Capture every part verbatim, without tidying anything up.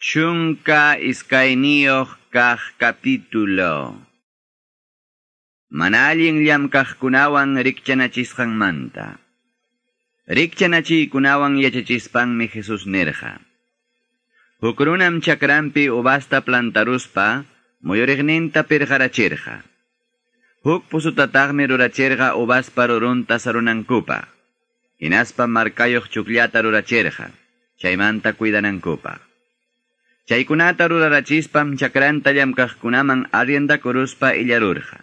Chunka iskayniyuq kaq capítulo. Mana allin llamkaqkunawan rikchanachisqanmanta. Rikchanachiykunawan yachachispanmi Jesús nirqa. Huk runam chakranpi uvasta plantaruspa muyuriqninta pirqarachirqa. Huk pusutataqmi rurachirqa uvaspa rurunta sarunankupaq. Hinaspa markayuq chukllata rurachirqa, chaymanta cuidanankupaq. Chaykunata rurarachispam chakranta llamkaqkunaman arriendakuruspa illarurqa.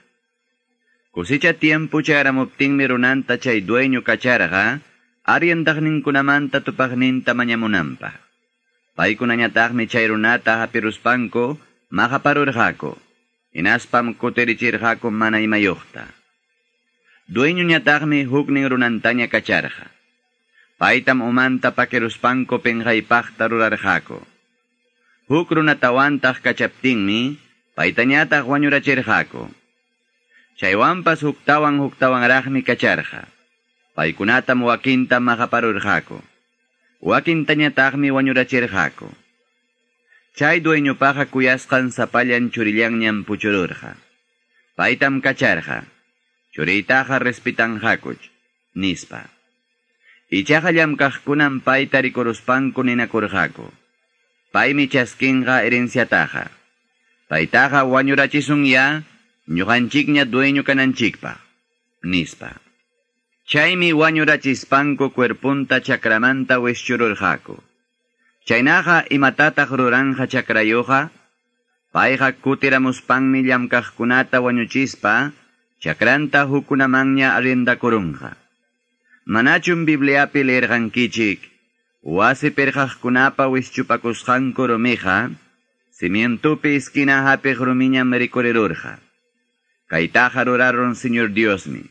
Kusicha tiempo chayaramuptinmi runanta chay dueño kacharqa, arriendaqninkunamanta tupaqninta mañamunanpaq. Paykunañataqmi chay runata hapiruspanku maqaparurqaku, hinaspam kutirichirqaku mana imayuqta. Dueñoñataqmi huknin runantaña kacharqa. Paytam umanta pakiruspanku pinqaypaqta rurarqaku. Huk runatawantaq kachaptinmi, paytañataq wañurachirqaku. Chaywanpas huktawan huktawanraqmi kacharqa. Paykunatam wakinta maqaparurqaku. Wakintañataqmi wañurachirqaku. Chay dueñopaqa kuyasqan sapallan churillanñam puchururqa. Paytam kacharqa. Churiytaqa respitanqakuch, nispa. Ichaqa llamkaqkunam payta rikuruspanku ninakurqaku. Paymi chaskinqa herenciataqa. Paytaqa wañurachisun ya, ñuqanchikña dueño kananchikpaq, nispa. Chaymi wañurachispanku cuerpunta chakramanta wischururqaku. Chaynaqa imatataq ruranqa chakrayuqa? Payqa kutiramuspanmi llamkaqkunata wañuchispa, chakranta hukunamanña arriendakurunqa. Manachum Bibliapi leerqankichik, wasi pirqaqkunapa wischupakusqanku rumiqa, cimientupi esquina hapiq rumiñam rikurirurqa. Kaytaqa rurarun Señor Diosmi.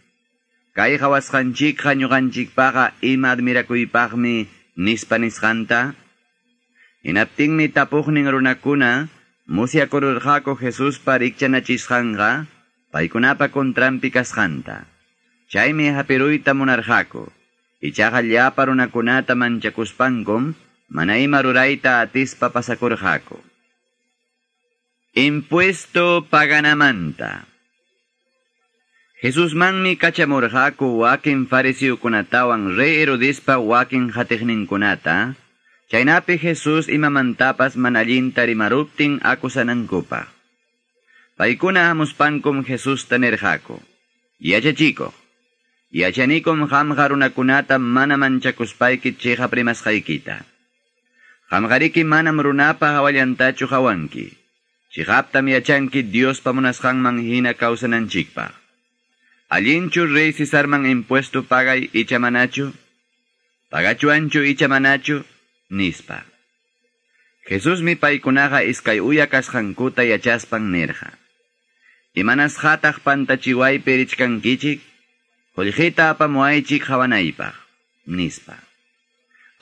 Kay qawasqanchikqa ñuqanchikpaqa ima admirakuypaqmi nispa nisqanta. Hinaptinmi tapuqnin runakuna musyakururqaku Jesuspa rikchanachisqanqa paykunapa contranpi kasqanta. Chaymi hapiruyta munarqaku. Ichaqa llapa runakunata manchakuspankum mana ima rurayta atispa pasakurqaku. Impuesto paganamanta. Jesusmanmi kachamurqaku wakin fariseokunatawan rey Herodespa wakin hatiqninkunata, chaynapi Jesús imamantapas mana allinta rimaruptin akusanankupaq. Paykuna hamuspankum Jesusta nirqaku: Yachachikuq, yachanikum qamqa runakunata mana manchakuspayki chiqap rimasqaykita. Qamqariki manam runapa hawallantachu qawanki. Chiqaptam yachanki Diospa munasqanman hina kawsananchikpaq. Allinchu rey Cesarman impuesto pagay icha manachu? Pagachuanchu icha manachu? Nispa. Jesusmi paykunaqa iskay uya kasqankuta yachaspan nirqa: Imanasqataq pantachiwaypi richkankichik? Qullqita apamuwaychik qawanaypaq, nispa.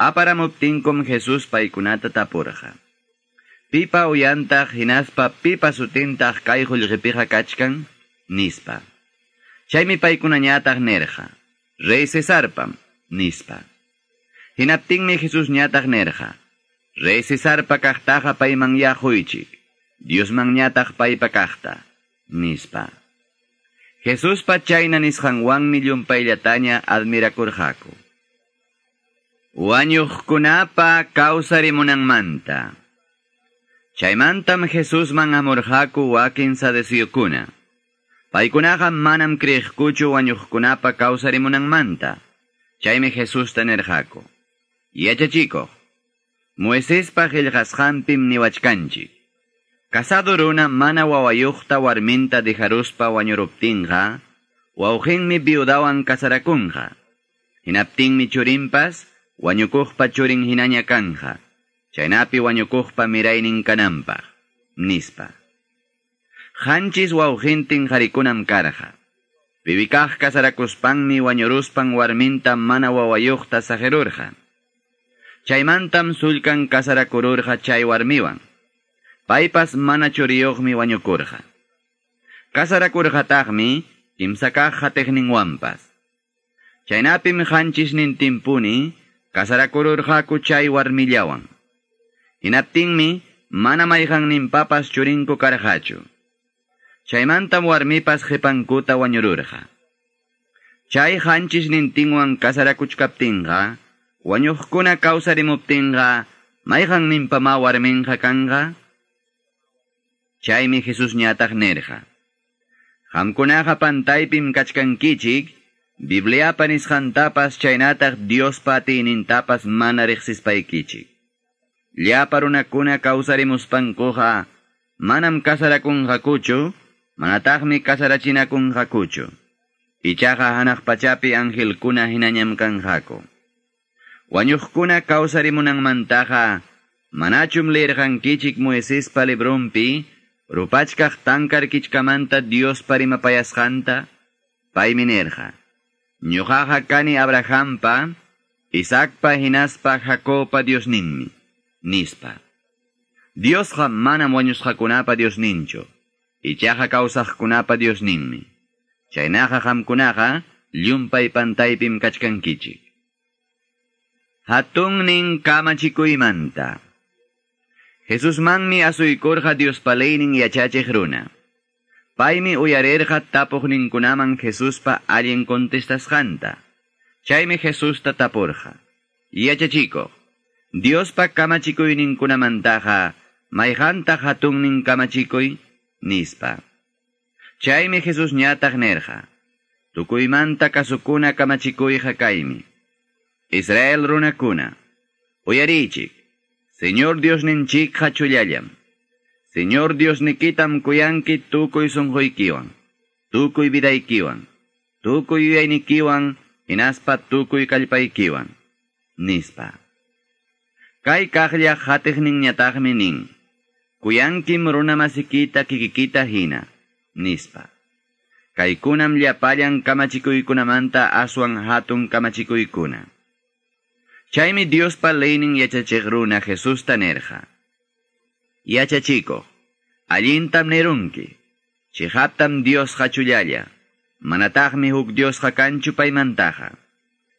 Aparamuptinkum Jesús paykunata tapurqa: Pipa uyantaq hinaspa pipa sutintaq kay qullqipiqa kachkan? Nispa. Chaymi paykunañataq nirqa: Rey Cesarpam, nispa. Hinaptinmi Jesusñataq nirqa: Rey Cesarpa kaqtaqa payman yaquychik, Diosmanñataq paypa kaqta, nispa. Jesuspa chayna nisqanwanmi llumpayllataña admirakurqaku. Wañuqkunapa kawsarimunanmanta. Chaymantam Jesusman hamurqaku wakin saduceokuna. Paykunaqa manam creeqkuchu wañuqkunapa kawsarimunanmanta. Chaymi Jesusta nirqaku: Yachachikuq, Moisespa qillqasqanpim niwachkanchik. Casado runa mana wawayuqta warminta dejaruspa wañuruptinqa, wawqinmi viudawan casarakunqa. Hinaptinmi churinpas wañukuqpa churin hinaña kanja, chaynapi wañukuqpa miraynin kananpaq, nispa. Qanchis wawqintin qharikunam karqa. Piwikaq casarakuspanmi wañuruspan warminta mana wawayuqta saqirurqa. Chaymantam sullkan casarakururqa chay warmiwan. Paypas mana churiyuqmi wañukurqa. Casarakurqataqmi kimsakaq hatiqninwanpas. Chaynapim qanchisnintinpuni casarakururqaku chay warmillawan. Hinaptinmi mana mayqanninpapas churinku karqachu. Chaymantam warmipas qipankuta wañururqa. Chay qanchisnintinwan kasarakuchkaptinqa, wañuqkuna kawsarimuptinqa, mayqanninpama warminqa kanqa? Chaymi Jesusñataq nirqa: Qamkunaqa pantaypim kachkankichik, Bibliapa nisqantapas chaynataq Diospa atiynintapas mana riqsispaykichik. Llapa runakuna kawsarimuspankuqa manam kasarakunqakuchu, manataqmi kasarachinakunqakuchu. Ichaqa hanaq pachapi angelkuna hinañam kanqaku. Wañuqkuna kawsarimunanmantaqa manachum leerqankichik Moisespa librunpi rupachkaq tankar kichkamanta Diospa rimapayasqanta? Paymi nirqa: Ñuqaqa kani Abrahampa, Isaacpa hinaspa Jacobpa Diosninmi, nispa. Diosqa manam wañusqakunapa Diosninchu, ichaqa kawsaqkunapa Diosninmi. Chaynaqa qamkunaqa llumpay pantaypim kachkankichik. Hatunnin kamachikuymanta. Jesusmanmi asuykurqa Diospa leynin yachachiq runa. Paymi uyarirqa tapuqninkunaman Jesuspa allin contestasqanta. Chaymi Jesusta tapurqa: Yachachikuq, Diospa kamachikuyninkunamantaqa mayqantaq hatunnin kamachikuy? Nispa. Chaymi Jesusñataq nirqa: Tukuymanta kasukuna kamachikuyqa kaymi: Israel runakuna, uyariychik, Señor Diosninchikqa chullallam. Señor Diosnikitam kuyanki tukuy sunquykiwan, tukuy vidaykiwan, tukuy yuyaynikiwan, hinaspa tukuy kallpaykiwan, nispa. Kay kaqlla qatiqninñataqmi nin: Kuyankim runamasikita kikikita hina, nispa. Kaykunam llapallan kamachikuykunamanta aswan hatun kamachikuykuna. Chaymi Diospa leynin yachachiq runa Jesusta nirqa: Yachachikuq, allintam nirunki, chiqaptam Diosqa chullalla, manataqmi huk Diosqa kanchu paymantaqa.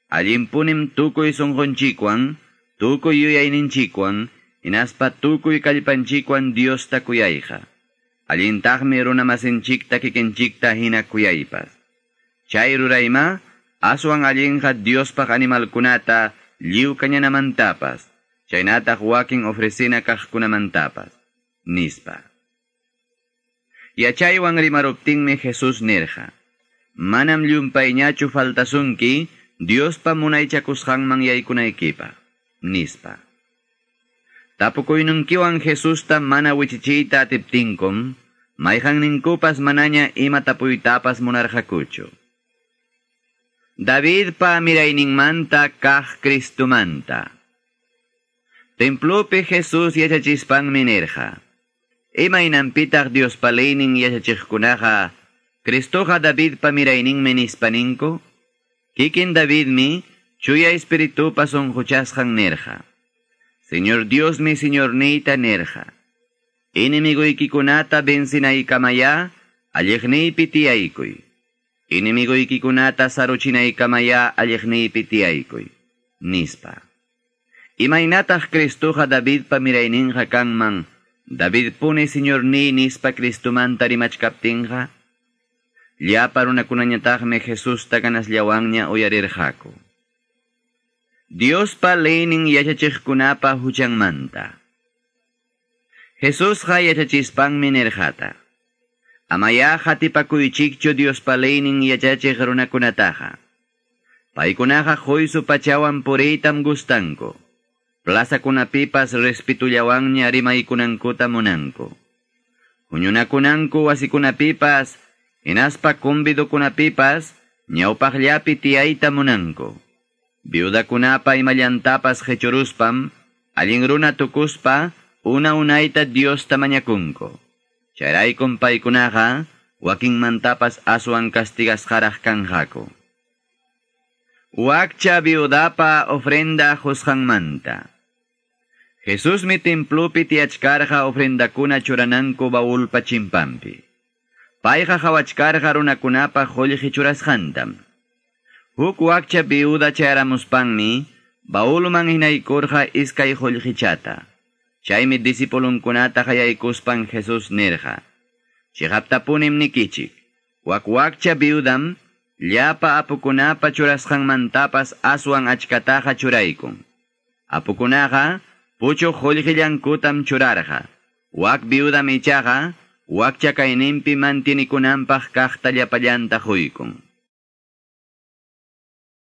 Allinpunim tukuy sunqunchikwan, tukuy yuyayninchikwan, hinaspa tukuy kallpanchikwan Diosta kuyayqa. Allintaqmi runamasinchikta kikinchikta hina kuyaypas. Chay rurayma, aswan allinqa Diospaq animalkunata lliw kañanamantapas, chaynataq wakin ofrecina kaqkunamantapas, nispa. Yachaywan rimaruptinmi Jesús nirqa: Manam llumpayñachu faltasunki Diospa munaychakusqanman yaykunaykipaq, nispa. Tapukuynunkiwan Jesusta mana wichichiyta atiptinkum, mayqanninkupas manaña ima tapuytapas munarqakuchu. Davidpa mirayninmanta kaq Cristumanta. Templopi Jesús yachachispanmi nirqa: Imaynanpitaq Diospa leynin yachachiqkunaqa Cristoqa Davidpa mirayninmi nispaninku? Kikin Davidmi chuya espiritupa sunquchasqan nirqa: Señor Diosmi Señorniyta nirqa: Enemiguykikunata vencinaykamaya alliqniypi tiyaykuy. Enemiguykikunata saruchinaykamaya alliqniypi tiyaykuy, nispa. Imaynataq Cristoqa Davidpa mirayninqa kanman, Davidpuni Señorniy nispa Cristumanta rimachkaptinqa? Llapa runakunañataqmi Jesusta ganasllawanña uyarirqaku. Diospa leynin yachachiqkunapa huchanmanta. Jesusqa yachachispanmi nirqata: Amaya qatipakuychikchu Diospa leynin yachachiq runakunataqa. Paykunaqa quysu pachawan puriytam gustanku. Plazakunapipas respetullawanña rimaykunankuta munanku. Huñunakunanku wasikunapipas, hinaspa convidokunapipas, ñawpaqllapi tiyayta munanku. Viudakunapa imallantapas qhichuruspam, allin runa tukuspa, una unayta Diosta mañakunku. Chayraykum paykunaqa, wakinmantapas aswan castigasqaraq kanqaku. Wakcha viudapa ofrenda qusqanmanta. Jesusmi templopi tiyachkarqa ofrendakuna churananku baulpa chimpanpi. Payqa qhawachkarqa runakunapa qullqi churasqantam. Huk wakcha viuda chayaramuspanmi, baulman hinaykurqa iskay qullqichata. Chaymi discipulunkunata qayaykuspan Jesús nirqa: Chiqaptapunim nikichik, wak wakcha viudam llapa apukunapa churasqanmantapas aswan achkataqa churaykun. Apukunaqa puchuq qullqillankutam churarqa. Wak viudam ichaqa wakcha kayninpi mantinikunanpaq kaqta llapallanta quykun.